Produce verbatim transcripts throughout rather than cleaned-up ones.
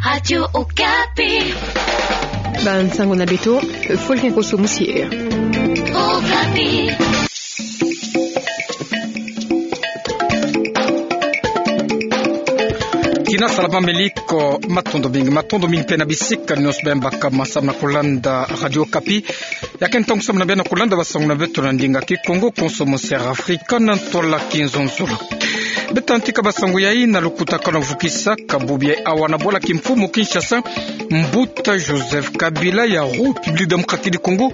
Radio Okapi. Bansango na beto, Fulgen Koso Musier. Okapi. Tina salama, meliko, matondo mingi, matondo mingi mpe na bisika nyonso beno baka masamu na kulanda Radio Okapi. Ya ke ntangu samu na beno na kulanda basango na beto na ndinga Kikongo, konso musier Afrika na ntwala Kinzonzolo. Beta ntika basango yai na lukutakanu vukisaka bubu yai awa na bwala kimfumu Kinshasa, Mbuta Joseph Kabila ya République Démocratique du Congo,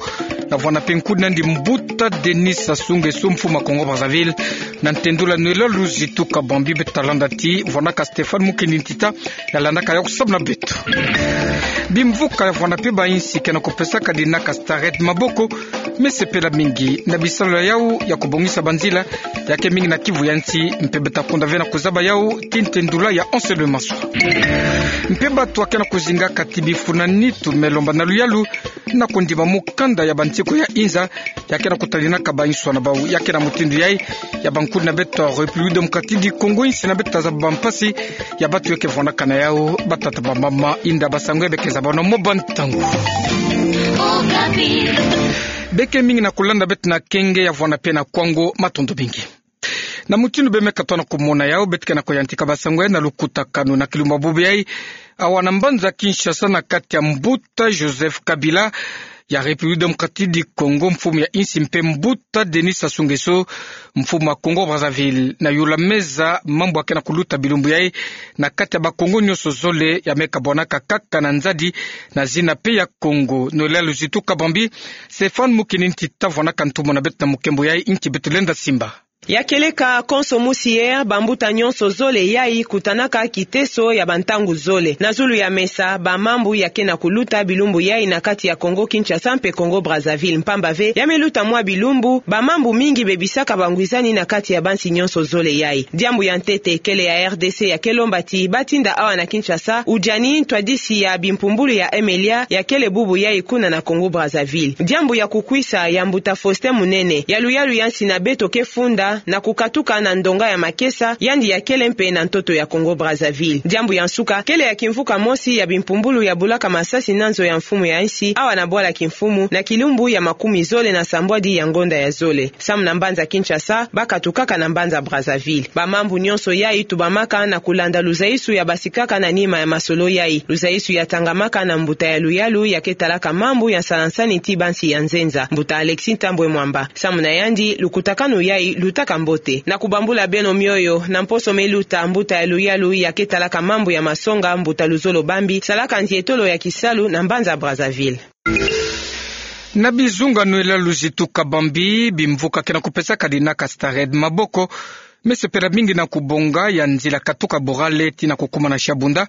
ya vwanda mpe nkudi nandi Mbuta Denis Sassou Nguesso, mfumu a Congo Brazzaville, na ntendula Noëlla Luzitu Kabambi. Beta landa ti vwanaka Stéphane Mukendi Ntita, ya landaka yau samu na beto. Bimvuka ya vwanda mpe bainsi ke na kupesaka dinaka starette maboko, me sepela mingi na bisalu ya yau ya kubongisa banzila, ya ke mingi na kivu ya nsi, mpe beta konda ve na kuzaba yau ti ntendula ya Anselme Maswa. Mpe bato ya ke na kuzingaka ti bifuna nitu me lomba na luyalu na kundima mukanda ya bantiko ya inza, ya ke na kutalinaka bainsi na bau. Ya ke na mutindu yai, ya bankudi na beto République Démocratique du Congo, insi na beto ta zaba bampasi ya bato ya ke vwandaka na yau, batata, bamama, inda basango ya be ke zaba na mo bantangu. Be ke mingi na kulanda beto na kenge ya vwanda mpe na kwango, matondo mingi. Na mutindu beno me katoa na kumona yau, beto ke na kuyantika basango yai na lukutakanu na kilumbu bubu yai, awa na mbanza Kinshasa, na kati ya Mbuta Joseph Kabila ya République Démocratique du Congo, mfumu ya insi, mpe Mbuta Denis Sassou Nguesso, mfumu a Congo Brazzaville, na yula meza mambu ya ke na kuluta bilumbu yai na kati ya Bakongo nyonso zole, ya me kabwanaka kaka na nzadi na zina mpe ya Kongo. Noëlla Luzitu Kabambi, Stéphane Mukendi Ntita vwanaka ntumwa na beto na mukembo yai, nki beto lenda simba. Ya kieleka konso musier, bambuta nyonso zole yai kutanaka kiteso ya bantangu zole. Na zulu ya mesa, bamambu ya ke na kuluta bilumbu yai na kati ya Congo Kinshasa mpe Congo Brazzaville, mpamba ve ya me luta mwa bilumbu, bamambu mingi bebisaka bangwizani na kati ya bansi nyonso zole yai. Diambu ya ntete, kele ya R D C ya ke lomba ti batinda awa na Kinshasa udiani ntwadisi ya bimpumbulu ya M L A ya kele bubu yai kuna na Congo Brazzaville. Diambu ya kukwisa, ya mbuta Faustin Munene, ya luyalu ya nsi na beto ke funda na kukatuka na ndonga ya makesa, yandi ya kele mpe na ntoto ya Congo Brazzaville. Diambu ya nsuka, kele ya kimvuka mosi ya bimpumbulu ya bulaka masasi na nzo ya mfumu ya nsi awa na bwala kimfumu, na kilumbu ya makumi zole na sambwadi ya ngonda ya zole. Samu na mbanza Kinshasa, bakatukaka na mbanza Brazzaville. Bamambu nyonso yai tubamaka na kulanda luzaisu ya basikaka na nima ya masolo yai. Luzaisu ya tangamaka na mbuta ya luyalu ya ke talaka mambu ya nsala-nsani ti bansi ya nzenza, mbuta Alexis Thambwe Mwamba. Samu na yandi, lukutakanu yai lutaka mbote. Na kubambula beno mioyo, na mposo me luta, mbuta ya luyalu ya ke talaka mambu ya masonga, mbuta Luzolo Bambi, salaka nzietolo ya kisalu na mbanza Brazzaville. Na bizunga Noëlla Luzitu Kabambi, bimvuka ke na kupesaka dinaka starette maboko me sepela mingi na kubonga ya nzila katuka Borale tii na kukuma na Shabunda,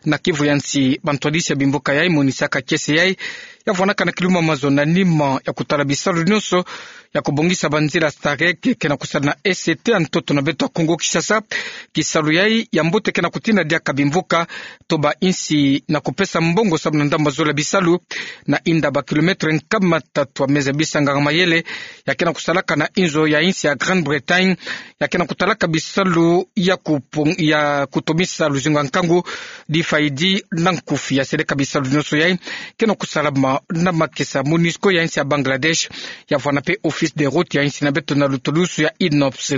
na kivu ya nsi. Bantwadisi ya bimvuka yai monisaka kiese yai ya vwanaka na kilumbu mazono na nima ya kutala bisalu nyonso ya kubongisa banzila starette ke na kusala na E C T ya ntoto na beto ya Congo Kinshasa. Kisalu yai ya mbote ke na kutina diaka bimvuka to bainsi na kupesa mbongo samu na ndambu zole ya bisalu, na inda ba kilomètre nkama tatu ya meza bisanga mayele ya ke na kusalaka na inzo ya insi ya Grande-Bretagne, ya ke na kutalaka bisalu ya kupung-, ya kutomisa luzingu ya nkangu, D F I D na nkufi. Ya seleka bisalu nyonso yai ke na kusalama na makesa. MONUSCO ya insi ya Bangladesh ya vwanda mpe office de route ya insi na beto na lutulusu ya INOPS.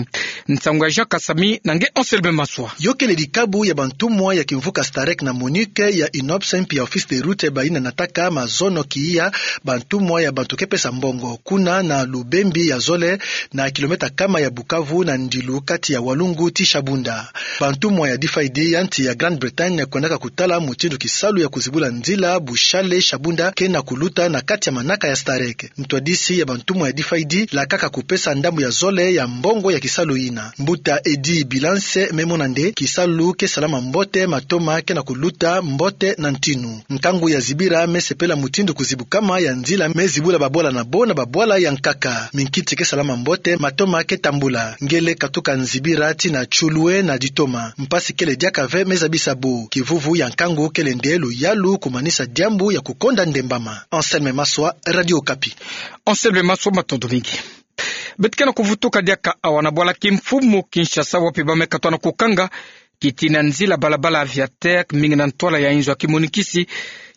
Nsangu ya Jean Kasami na nge Anselme Maswa. Yo kele dikabu ya bantumwa ya kimvuka starette na MONUC ya INOPS mpi ya office de route bayi na nataka mazono kiya bantumwa ya bantu ke pesa mbongo kuna na Lubembi ya zole, na kilomètre kama ya Bukavu, na ndilu kati ya Walungu tii Shabunda. Bantumwa ya D F I D ya nsi ya Grande-Bretagne kwendaka kutala mutindu kisalu ya kuzibula nzila Bushale Shabunda ke na kuluta na kati ya manaka ya starette. Ntwadisi ya bantumwa ya D F I D lakaka kupesa ndambu ya zole ya mbongo ya kisalu yina. Mbuta Eddy Bilance me mona nde kisalu ke salama mbote, matoma ke na kuluta mbote na ntinu. Nkangu ya zibira me sepela mutindu kuzibukama ya nzila me zibula babwala na bo na babwala ya nkaka. Minkiti ke salama mbote, matoma ke tambula. Nge le katuka nzibira tii na Tshulwe na ditoma. Mpasi kele diaka ve me zabisa bo. Kivuvu ya nkangu kele nde luyalu kumanisa diambu ya kukonda ndembama. Anselme Maswa, Radio Okapi. Anselme Maswa, matondo mingi. Beto ke na kuvutuka diaka awa na bwala kimfumu Kinshasa, wapi ba me katoa na kukanga kitina nzila balabala aviateur, mingi na ntwala ya inzo ya kimonikisi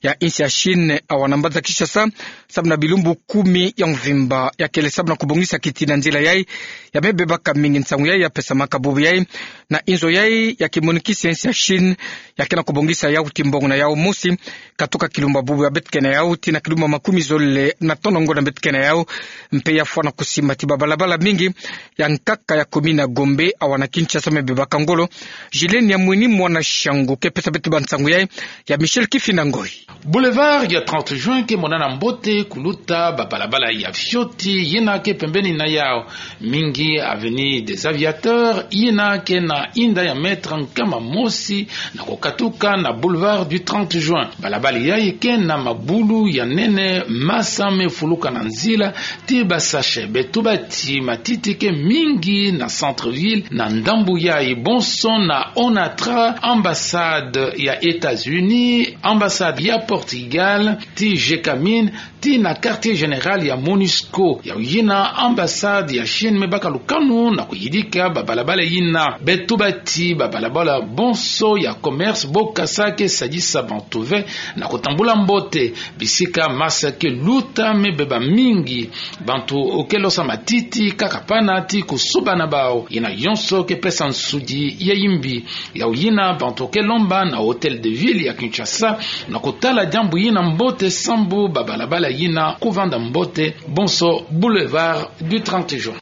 ya insi ya Chine, awa na mbanza Kinshasa, samu na bilumbu kumi ya mvimba. Ya kele samu na kubongisa kitina nzila yai, ya me bebaka mingi nsangu yai ya pesamaka bubu yai na inzo yai ya kimonikisi ya insi ya Chine, ya ke na kubongisa yau ti mbongo na yau mosi, katuka kilumbu ya bubu ya beto kena yau, tii na kilumbu ya makumi zole na tono ngolo na beto kena yau, mpe ya fwana kusimba ti babalabala mingi ya nkaka ya commune ya Gombe, awa na Kinshasa, me bebaka ngolo. Julienne Yamweni, mwana Shangu, ke pesa beto bansangu yai, ya Michel Kifinda Ngoi. Boulevard ya trente juin ke monana mbote kuluta babalabala ya fioti yina ke pembeni na yau, mingi avenue des Aviateurs, yina ke na inda ya mètre nkama mosi na kukatuka na boulevard du trente juin. Balabala yai ke na mabulu ya nene, masa me fuluka na nzila, tii ba sachet. Beto bati matiti ke mingi na centre-ville, na ndambu yai bonso, na ONATRA, ambassade ya États-Unis, ambassade ya Portugal, tii GECAMINE, tii na quartier général ya MONUSCO. Yau yina ambassade ya Chine me baka lukanu na kuyidika babalabala yina. Beto bati babalabala bonso ya commerce, bokasa ke sadisa bantu ve na kutambula mbote. Bisika masa ke luta me beba mingi, bantu ke losa matiti, kakapana tii kusuba na bau. Yina yonso ke pesa nsudi ya yimbi. Yau yina bantu ke lomba na Hôtel de Ville ya Kinshasa na kutala diambu yina mbote, sambu babalabala yina kuvanda mbote, bonso boulevard du trente juin.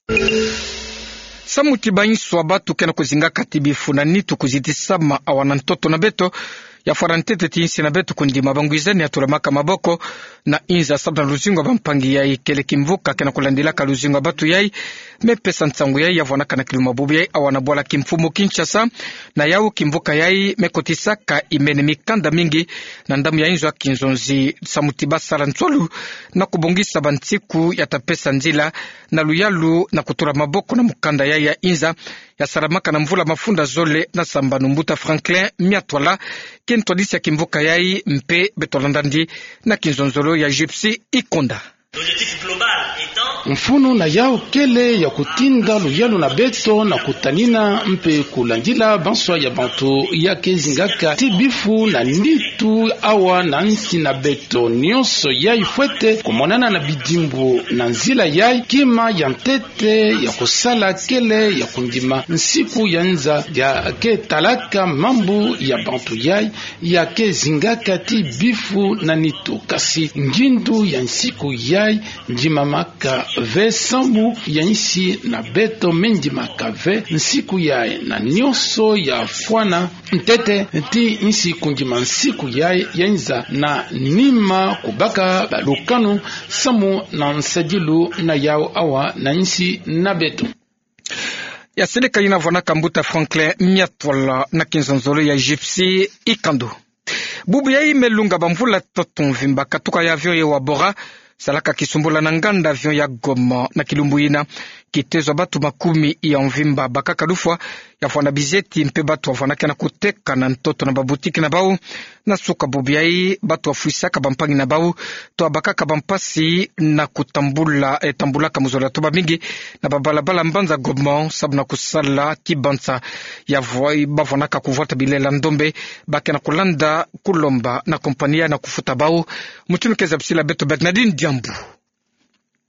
Samu ti bainso ya batu ke na kuzingaka ti bifu na nitu kuzitisama awa na ntoto na beto, ya fwana ntete ti insi na beto kundima bangwizani ya tulamaka maboko na inza samu na luzingu ya bampangi yai. Kele kimvuka ke na kulandilaka luzingu ya batu yai, me pesa nsangu yai, ya vwanaka na kilumbu ya bubu yai awa na bwala kimfumu Kinshasa. Na yau kimvuka yai me kotisaka imene mikanda mingi na ndambu ya inzo ya kinzonzi, samu ti basala nswalu na kubongisa bansiku ya ta pesa nzila na luyalu na kutula maboko na mukanda yai ya inza, ya salamaka na mvula mafunda zole na sambanu. Mbuta Franklin Miatwala ke ntwadisi ya kimvuka yai, mpe beto landa ndi na kinzonzolo ya Gypsy Ikonda. Mfunu na yau kele ya kutinda luyalu na beto na kutanina mpe kulandila banswa ya bantu ya ke zingaka ti bifu na nitu awa na nsi na beto. Nionso yai fwete kumonana na bidimbu na nzila yai. Kima ya ntete ya kusala kele ya kundima nsiku ya nza ya ke talaka mambu ya bantu yai ya ke zingaka ti bifu na nitu. Kasi ngindu ya nsiku yai ndimamaka ve, sambu ya insi na beto me ndimaka ve nsiku yai, na nionso ya fwana ntete ti insi kundima nsiku yai ya inza na nima kubaka balukanu samu na nsadilu na yau awa na insi na beto. Ya seleka yina vwanaka mbuta Franklin Miatwala na kinzonzolo ya Gypsy Ikandu. Bubu yai me lunga bamvula toto mvimba, katuka ya avion Hewa Bora salaka kisumbula na nganda avion ya Goma. Na kilumbu yina, kitezo ya batu makumi ya mvimba bakaka lufwa, ya vwana bizeti mpe batu ya vwanaka na kuteka na ntoto na babutiki na bau. Na suka bubu yai, batu ya fwisaka bampangi na bau, to ya bakaka bampasi na kutambula, eh, tambulaka mu zola to bamingi na babalabala mbanza Goma, samu na kusala kibansa ya vwa-, ba vwanaka kuvwata bilela ndombe, ba ke na kulanda kulomba na kompani ya na kufuta bau. Mutindu ke zabisila beto Bernardine Diambu.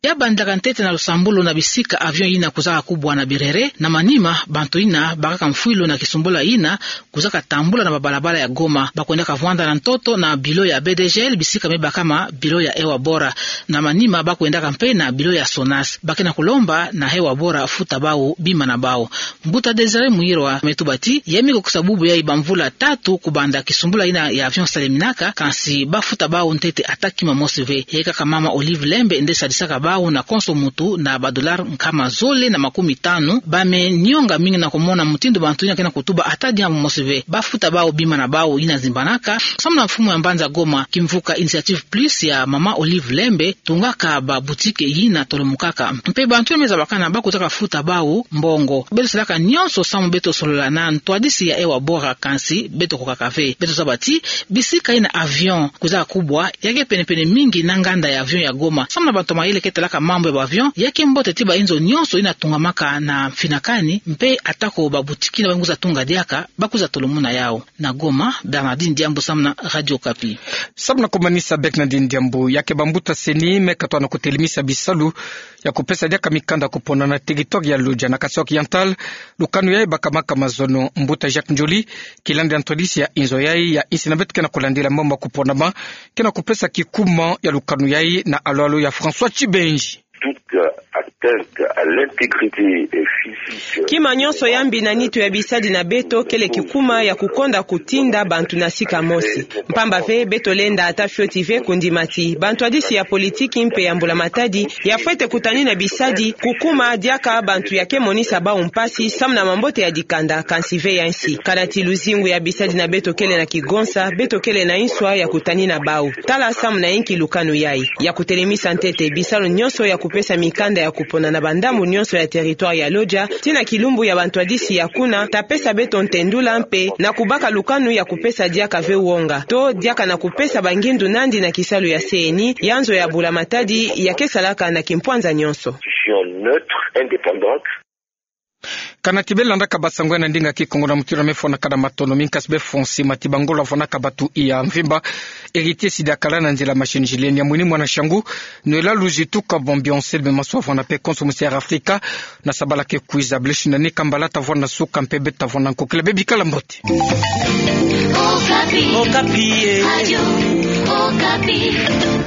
Ya bandaka ntete na lusambulu na bisika avion yina kuzaka kubwa na birere. Na manima, bantu yina bakaka mfwilu na kisumbula yina kuzaka tambula na babalabala ya Goma, ba kwendaka vwanda na ntoto na bilo ya B D G L, bisika me bakama bilo ya Hewa Bora. Na manima, ba kwendaka mpe na bilo ya Sonas. Ba ke na kulomba na Hewa Bora futa bau bima na bau. Mbuta Désiré Muirwa me tuba ti, ya me kukisa bubu yai bamvula tatu kubanda kisumbula yina ya avion saleminaka, kansi ba futa bau ntete ata kima mosi ve. Yakaka mama Olive Lembe nde sadisaka bau na konso muntu na ba dollars nkama zole na makumi tanu. Ba me nionga mingi na kumona mutindu bantu yina ke na kutuba ata diambu mosi ve. Ba futa bau bima na bau yina zimbanaka. Samu na mfumu ya mbanza Goma, kimvuka Initiative Plus ya mama Olive Lembe tungaka babutiki yina tolomukaka. Mpe bantu yina me zabakana ba kuzaka futa bau mbongo. Beto salaka nionso samu beto solola na ntwadisi ya Hewa Bora, kansi beto kukaka ve. Beto zaba ti bisika yina avion kuzaka kubwa, ya ke penepene mingi na nganda ya avion ya Goma. Samu na bantu ya mayele ke talaka mambu ya ba avion, ya ke mbote ti ba inzo nyonso ina tungamaka na mfinakani, mpe atako ba boutique na ba ngu za tunga diaka, ba kwiza tolomuna yau. Na Goma, Bernardine Diambu samu na Radio Okapi. Samu na kumanisa Bernardine Diambu, ya ke bambuta CENI me katwa na kutelemisa bisalu ya kupesa diaka mikanda kupona na territoire ya Lodja na Kasaï Oriental, lukanu yayi bakamaka mazono. Mbuta Jacques Ndjoli, kilandi ya ntwadisi ya inzo yayi ya insi na beto ke na kulandila mambu ya kuponama, ke na kupesa kikuma ya lukanu yayi na alo-alo ya François Tchibenji. Toute atteinte à l'intégrité physique. Kima nyonso ya mbi na nitu ya bisadi na beto kele kikuma ya kukonda kutinda bantu na sika mosi. Mpamba ve, beto lenda ata fioti ve kundima ti bantwadisi ya politiki mpe ya mbula matadi ya fwete kutanina bisadi, kukuma diaka bantu ya ke monisa bau mpasi samu na mambote ya dikanda, kansi ve ya insi. Kana ti luzingu ya bisadi na beto kele na kigonsa, beto kele na inswa ya kutanina bau. Tala samu na inki lukanu yayi ya kutelemisa ntete bisalu nyonso ya kupesa mikanda ya kupona na bandambu nyonso ya territoire ya Lodja, tii na kilumbu ya bantwadisi ya kuna ta pesa beto ntendula mpe na kubaka lukanu ya kupesa diaka ve wonga, to diaka na kupesa bangindu nandi na kisalu ya CENI, ya nzo ya bula matadi ya ke salaka na kimpwanza nyonso. Institution neutre, indépendante. Kana ti beno landaka basango ya na ndinga Kikongo na mutindu ya me fwanaka na matono, mi nkasi befo nsima ti bangolo ya fwanaka batu iya mvimba. Héritier Sidya Kala na nzila machine Julien Nyamwini mwana Shangu, Noëlla Luzi Tuka Bombi Onsel, be maso ya fwana mpe konso musi Air Afrika na sabala ke kwiza. Blesi na ni kambala ta vwanda na suka mpe beto ta vwanda nkokila, bebikala mbote. Okapi. Okapi, eh. Radio Okapi.